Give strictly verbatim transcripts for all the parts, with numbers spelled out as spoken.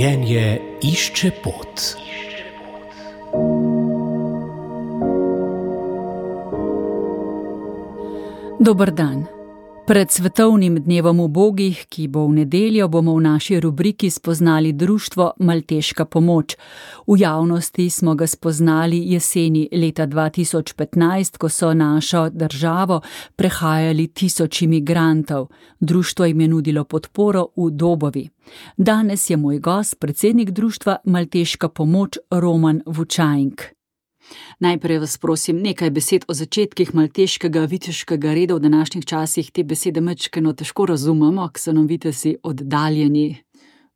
Življenje išče pot. Dober dan. Pred svetovnim dnevom ubogih, ki bo v nedeljo, bomo v naši rubriki spoznali društvo Malteška pomoč. V javnosti smo ga spoznali jeseni leta dva tisoč petnajst, ko so našo državo prehajali tisoči migrantov. Društvo jim je nudilo podporo v Dobovi. Danes je moj gost, predsednik društva Malteška pomoč, Roman Vučajnk. Najprej vas prosim nekaj besed o začetkih malteškega viteškega reda v današnjih časih. Te besede majčkeno težko razumemo, ker so nam vitezi oddaljeni.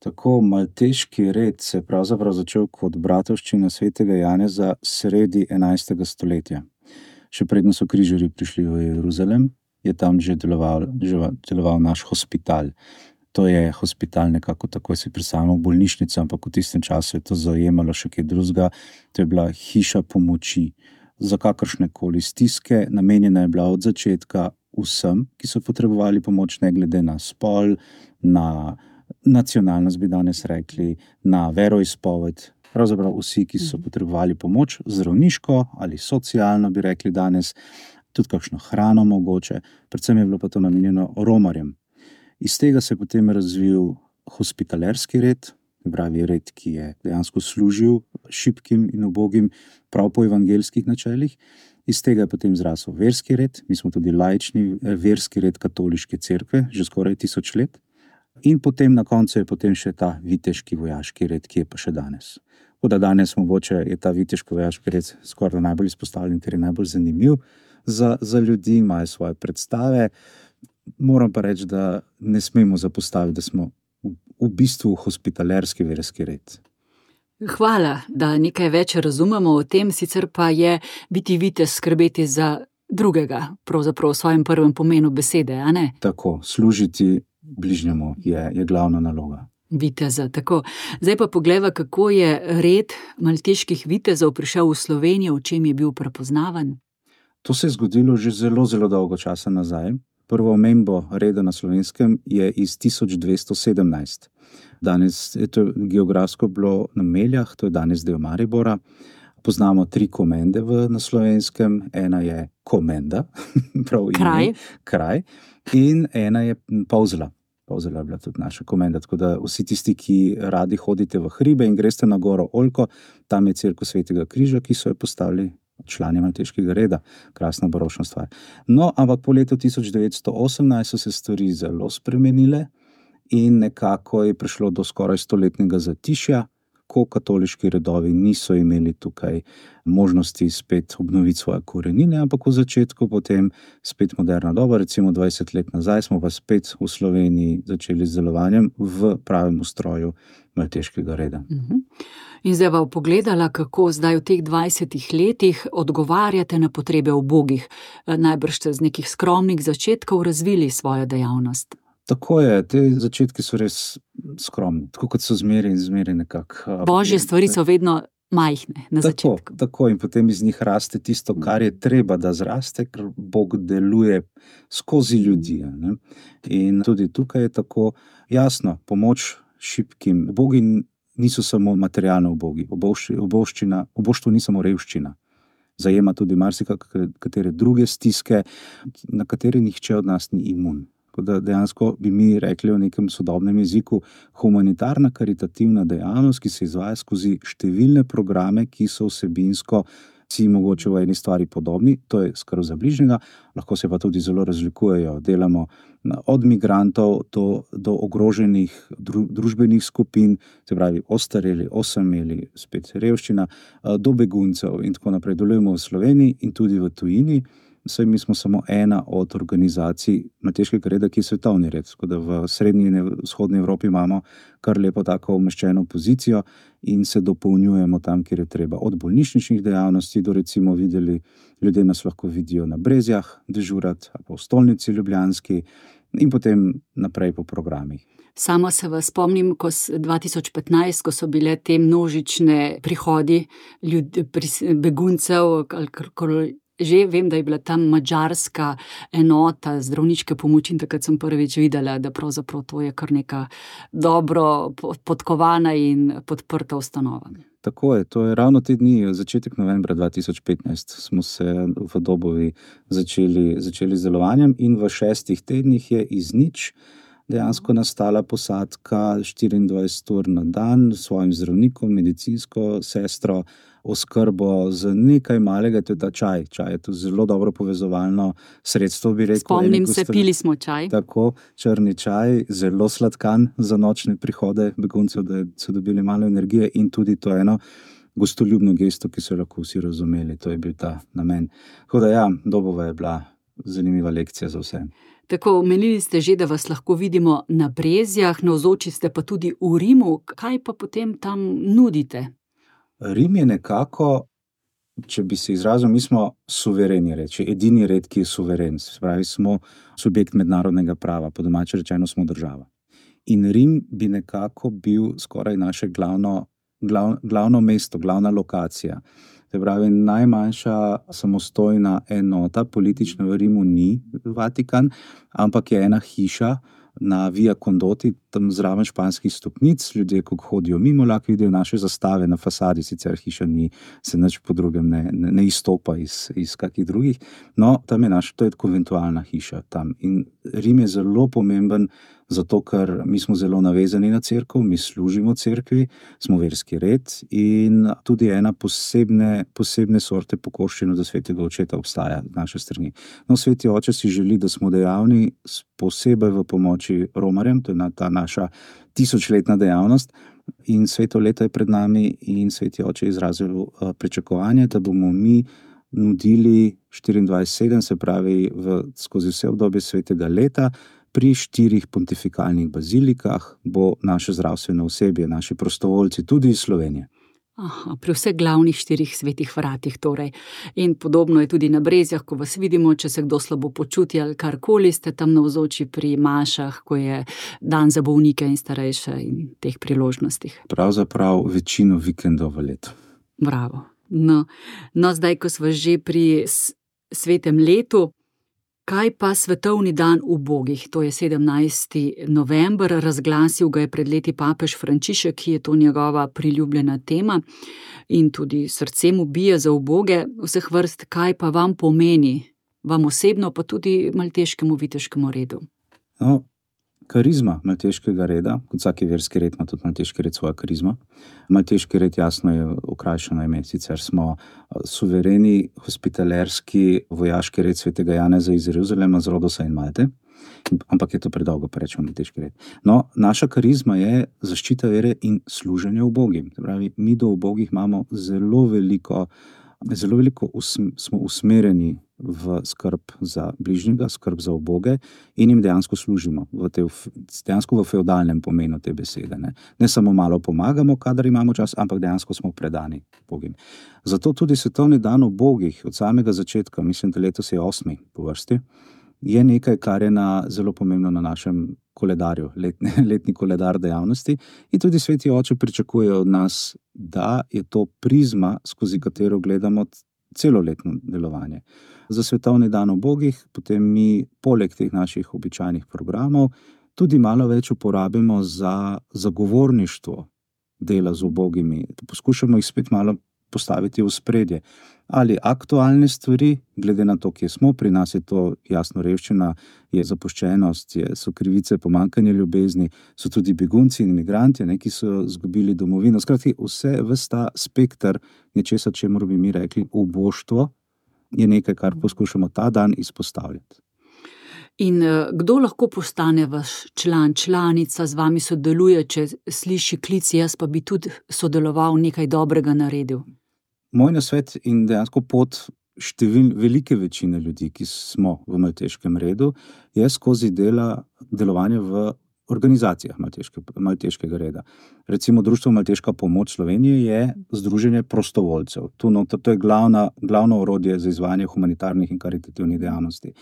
Tako, malteški red se je pravzaprav začel kot bratovščina svetega Janeza sredi enajstega stoletja. Še predno so križarji prišli v Jeruzalem, je tam že deloval, že deloval naš hospital. To je hospital nekako, tako si predstavljamo bolnišnico, ampak v tistem času je to zajemalo še kaj drugega. To je bila hiša pomoči za kakršne koli stiske, namenjena je bila od začetka vsem, ki so potrebovali pomoč, ne glede na spol, na nacionalnost, bi danes rekli, na veroizpoved. Pravzaprav vsi, ki so potrebovali pomoč, zdravniško ali socialno, bi rekli danes, tudi kakšno hrano mogoče. Predvsem je bilo pa to namenjeno romarjem. Iz tega se je potem razvil hospitalerski red, pravi red, ki je dejansko služil šibkim in ubogim prav po evangeljskih načelih. Iz tega je potem zrasel verski red, mi smo tudi laični verski red katoliške cerkve, že skoraj tisoč let. In potem na koncu je potem še ta viteški vojaški red, ki je pa še danes. Tako da danes mogoče je ta viteški vojaški red skoraj najbolj izpostavljen, ker je najbolj zanimiv za, za ljudi, imajo svoje predstave. Moram pa reči, da ne smemo zapostaviti, da smo v, v bistvu hospitalerski verski red. Hvala, da nekaj več razumemo o tem, sicer pa je biti vitez skrbeti za drugega, pravzaprav v svojem prvem pomenu besede, a ne? Tako, služiti bližnjemu je, je glavna naloga. Viteza, tako. Zdaj pa poglejva, kako je red malteških vitezov prišel v Slovenijo, v čem je bil prepoznavan. To se je zgodilo že zelo, zelo dolgo časa nazaj. Prvo omembo reda na Slovenskem je iz tisoč dvesto sedemnajst. Danes je to geografsko bilo na Meljah, to je danes del Maribora. Poznamo tri komende v, na Slovenskem. Ena je komenda, prav ime, kraj. kraj, in ena je Polzela. Polzela je bila tudi naša komenda, tako da vsi tisti, ki radi hodite v hribe in greste na goro Oljko, tam je cerkev Svetega križa, ki so jo postavili člani malteškega reda. Krasna baročna stvar. No, ampak po letu tisoč devetsto osemnajst so se stvari zelo spremenile in nekako je prišlo do skoraj stoletnega zatišja, ko katoliški redovi niso imeli tukaj možnosti spet obnoviti svoje korenine, ampak v začetku potem spet moderna doba, recimo dvajset let nazaj smo pa spet v Sloveniji začeli z delovanjem v pravem ustroju malteškega reda. Uh-huh. In zdaj vam pogledala, kako zdaj v teh dvajsetih letih odgovarjate na potrebe ubogih. Najbrž ste z nekih skromnih začetkov razvili svojo dejavnost. Tako je, te začetki so res skromni, tako kot so zmeri in zmeri nekako. Božje stvari so vedno majhne na tako, začetku. Tako, in potem iz njih raste tisto, kar je treba, da zraste, ker Bog deluje skozi ljudi. Ne? In tudi tukaj je tako jasno, pomoč šibkim. Ubogi niso samo materialno ubogi, ubovščina, uboštvo ni samo revščina. Zajema tudi marsikatere druge stiske, na katere nihče od nas ni imun. Da dejansko bi mi rekli v nekem sodobnem jeziku humanitarna karitativna dejavnost, ki se izvaja skozi številne programe, ki so vsebinsko si mogoče v eni stvari podobni, to je skrb za bližnjega, lahko se pa tudi zelo razlikujejo. Delamo od migrantov do, do ogroženih dru, družbenih skupin, se pravi ostareli, osameli, spet revščina, do beguncev in tako naprej. Delujemo v Sloveniji in tudi v tujini. Saj mi smo samo ena od organizacij malteškega reda, ki je svetovni red. Tako da v srednji in vzhodni Evropi imamo kar lepo tako umeščeno pozicijo in se dopolnjujemo tam, kjer je treba. Od bolnišničnih dejavnosti do recimo videli, ljudje nas lahko vidijo na Brezjah dežurati, ali pa v stolnici ljubljanski in potem naprej po programih. Sama se vas spomnim, ko dva tisoč petnajst, ko so bile te množične prihodi ljudi, beguncev, ali že vem, da je bila tam madžarska enota zdravniške pomoči in takrat sem prvič videla, da pravzaprav to je kar neka dobro podkovana in podprta ustanova. Tako je, to je ravno te dni, začetek novembra dva tisoč petnajst smo se v Dobovi začeli, začeli z delovanjem in v šestih tednih je iz nič dejansko nastala posadka štiriindvajset ur na dan s svojim zdravnikom, medicinsko sestro, oskrbo z nekaj malega, to je ta čaj. Čaj je to zelo dobro povezovalno sredstvo, bi rekel. Spomnim se, pili smo čaj. Tako, črni čaj, zelo sladkan za nočne prihode beguncev, da so dobili malo energije in tudi to eno gostoljubno gesto, ki so lahko vsi razumeli. To je bil ta namen. Tako da ja, Dobova je bila zanimiva lekcija za vse. Tako, omenili ste že, da vas lahko vidimo na Brezjah, navzoči ste pa tudi v Rimu. Kaj pa potem tam nudite? Rim je nekako, če bi se izrazil, mi smo suvereni reči, edini red, ki je suveren. Spravi, smo subjekt mednarodnega prava, po domače rečeno smo država. In Rim bi nekako bil skoraj naše glavno, glav, glavno mesto, glavna lokacija. Se pravi, najmanjša samostojna enota politična v Rimu ni Vatikan, ampak je ena hiša na Via Condoti, tam zraven španskih stopnic, ljudje, ko hodijo mimo, lahko vidijo naše zastave na fasadi, sicer hiša ni, se nič po drugem ne, ne, ne izstopa iz, iz kakih drugih. No, tam je naša, to je konventualna hiša tam. In Rim je zelo pomemben, zato ker mi smo zelo navezani na cerkev, mi služimo cerkvi, smo verski red in tudi ena posebne, posebne sorte pokoščeno do svetega očeta obstaja v naše strani. No, sveti oče si želi, da smo dejavni posebej v pomoči romarjem, to je ta naša tisočletna dejavnost in sveto leto je pred nami in sveti oče izrazil pričakovanje, da bomo mi nudili štiriindvajset sedem, se pravi v, skozi vse obdobje svetega leta, pri štirih pontifikalnih bazilikah bo naše zdravstveno osebje, naši prostovoljci, tudi iz Slovenije. Aha, pri vseh glavnih štirih svetih vratih torej. In podobno je tudi na Brezjah, ko vas vidimo, če se kdo slabo počuti ali karkoli, ste tam navzoči pri mašah, ko je dan za bolnike in starejše in teh priložnostih. Pravzaprav večino vikendov v letu. Bravo. No, no zdaj, ko smo že pri svetem letu, kaj pa svetovni dan ubogih? To je sedemnajsti november, razglasil ga je pred leti papež Frančišek, ki je to njegova priljubljena tema in tudi srce mu bije za uboge vseh vrst. Kaj pa vam pomeni, vam osebno, pa tudi malteškemu viteškemu redu? No, karizma malteškega reda, kot vsaki verski red ima tudi malteški red svoja karizma. Malteški red jasno je okrajšano ime, sicer smo suvereni, hospitalerski, vojaški red svetega Janeza iz Jeruzalema, z Rodosa in Malte, ampak je to predolgo, pa rečemo malteški red. No, naša karizma je zaščita vere in služenje ubogim. Pravi, mi do ubogih imamo zelo veliko, zelo veliko usm, smo usmerjeni v skrb za bližnjega, skrb za uboge in jim dejansko služimo, v te, dejansko v feudalnem pomenu te besede. Ne? ne samo malo pomagamo, kadar imamo čas, ampak dejansko smo predani ubogim. Zato tudi svetovni dan ubogih od samega začetka, mislim, da letos je osmi po vrsti, je nekaj, kar je na, zelo pomembno na našem koledarju, letni, letni koledar dejavnosti in tudi sveti oče pričakuje od nas, da je to prizma, skozi katero gledamo celoletno delovanje. Za svetovni dan ubogih potem mi poleg teh naših običajnih programov tudi malo več uporabimo za zagovorništvo dela z ubogimi. Poskušamo jih spet malo postaviti v spredje. Ali aktualne stvari, glede na to, kje smo, pri nas je to jasno revščina, je zapuščenost, je, so krivice, pomanjkanje ljubezni, so tudi begunci in imigranti, ne, ki so izgubili domovino. Skratka, vse, ves ta spekter nečesa, čemur bi mi rekli uboštvo, je nekaj, kar poskušamo ta dan izpostavljati. In kdo lahko postane vaš član, članica, z vami sodeluje, če sliši klic, jaz pa bi tudi sodeloval, nekaj dobrega naredil? Moj nasvet in dejansko pot števil, velike večine ljudi, ki smo v malteškem redu, je skozi dela, delovanje v organizacijah malteške, malteškega reda. Recimo Društvo Malteška pomoč Slovenije je združenje prostovoljcev. To, no, to je glavna, glavno orodje za izvajanje humanitarnih in karitativnih dejavnosti.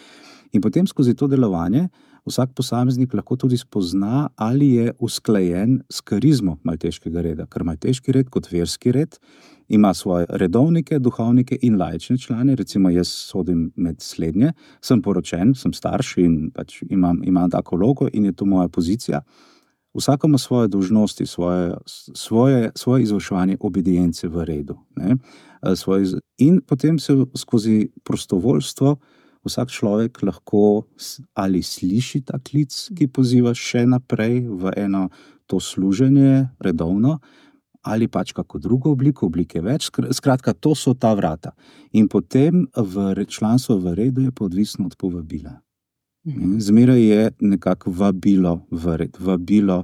In potem skozi to delovanje vsak posameznik lahko tudi spozna, ali je usklajen s karizmo malteškega reda, ker malteški red kot verski red ima svoje redovnike, duhovnike in laične člane, recimo jaz sodim med slednje, sem poročen, sem starš in pač imam, imam tako vlogo in je to moja pozicija. Vsak ima svoje dolžnosti, svoje, svoje, svoje izvrševanje obedience v redu. Ne? Svoje, in potem se skozi prostovoljstvo vsak človek lahko ali sliši ta klic, ki poziva še naprej v eno to služenje redovno, ali pač kako drugo obliko, oblike več. Skratka, to so ta vrata. In potem v članstvo v redu je pa odvisno od povabila. Zmeraj je nekako vabilo v red, vabilo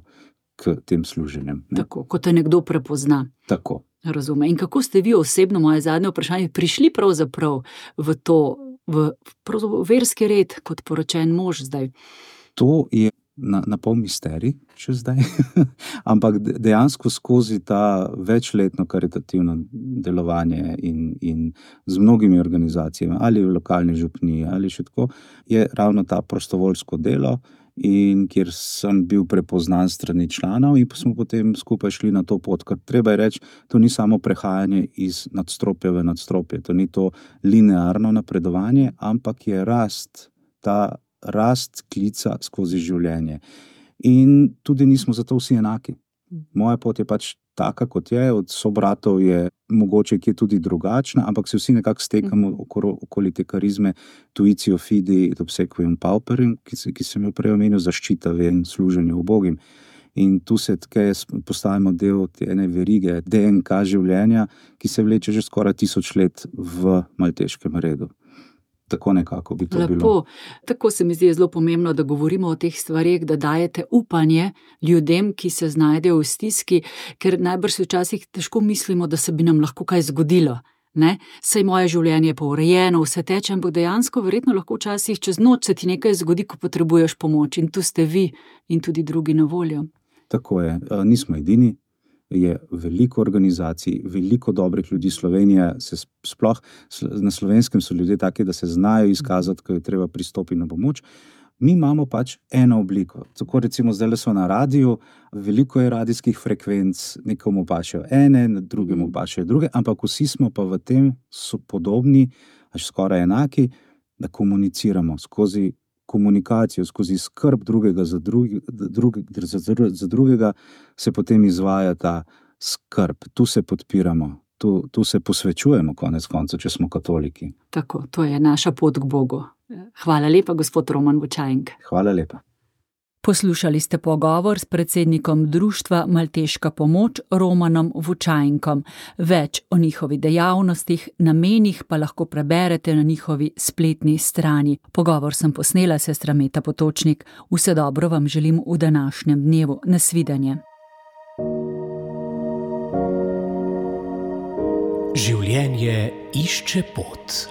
k tem služenjem. Ne? Tako, ko te nekdo prepozna. Tako. Razume. In kako ste vi osebno, moje zadnje vprašanje, prišli pravzaprav v to, v pravzaprav verski red kot poročen mož zdaj? To je na, na pol misterij še zdaj, ampak dejansko skozi ta večletno karitativno delovanje in, in z mnogimi organizacijami, ali v lokalni župniji, ali še tako, je ravno ta prostovoljsko delo, in kjer sem bil prepoznan strani članov in pa smo potem skupaj šli na to pot, ker treba je reči, to ni samo prehajanje iz nadstropja v nadstropje, to ni to linearno napredovanje, ampak je rast, ta rast klica skozi življenje. In tudi nismo zato vsi enaki. Moja pot je pač taka, kot je, od sobratov je mogoče kje tudi drugačna, ampak se vsi nekako stekamo okoli, okoli te karizme tuitio fidi et obsequium pauperim, ki, ki sem jo prej omenil, zaščita in služenje ubogim. In tu se tkaj postavimo del te ene verige, D N K življenja, ki se vleče že skoraj tisoč let v malteškem redu. Tako nekako bi to Lepo. bilo. Tako se mi zdi zelo pomembno, da govorimo o teh stvareh, da dajete upanje ljudem, ki se znajdejo v stiski, ker najbrž se včasih težko mislimo, da se bi nam lahko kaj zgodilo. Ne? Saj moje življenje je pa urejeno, vse teče, ampak dejansko verjetno lahko včasih čez noč se ti nekaj zgodi, ko potrebuješ pomoč, in tu ste vi in tudi drugi na voljo. Tako je, nismo edini. Je veliko organizacij, veliko dobrih ljudi. Slovenija se sploh, na Slovenskem so ljudje taki, da se znajo izkazati, ko je treba pristopiti na pomoč. Mi imamo pač eno obliko. Tako recimo zdaj so na radiju, veliko je radijskih frekvenc, nekomu pašejo ene, drugemu pašejo druge, ampak vsi smo pa v tem so podobni, až skoraj enaki, da komuniciramo skozi komunikacijo, skozi skrb drugega za, drugi, drugi, za, za drugega, se potem izvaja ta skrb. Tu se podpiramo, tu, tu se posvečujemo konec konca, če smo katoliki. Tako, to je naša pot k Bogu. Hvala lepa, gospod Roman Vučajnk. Hvala lepa. Poslušali ste pogovor s predsednikom društva Malteška pomoč Romanom Vučajnkom. Več o njihovi dejavnostih, namenih pa lahko preberete na njihovi spletni strani. Pogovor sem posnela sestra Meta Potočnik. Vse dobro vam želim v današnjem dnevu. Nasvidenje. Življenje išče pot.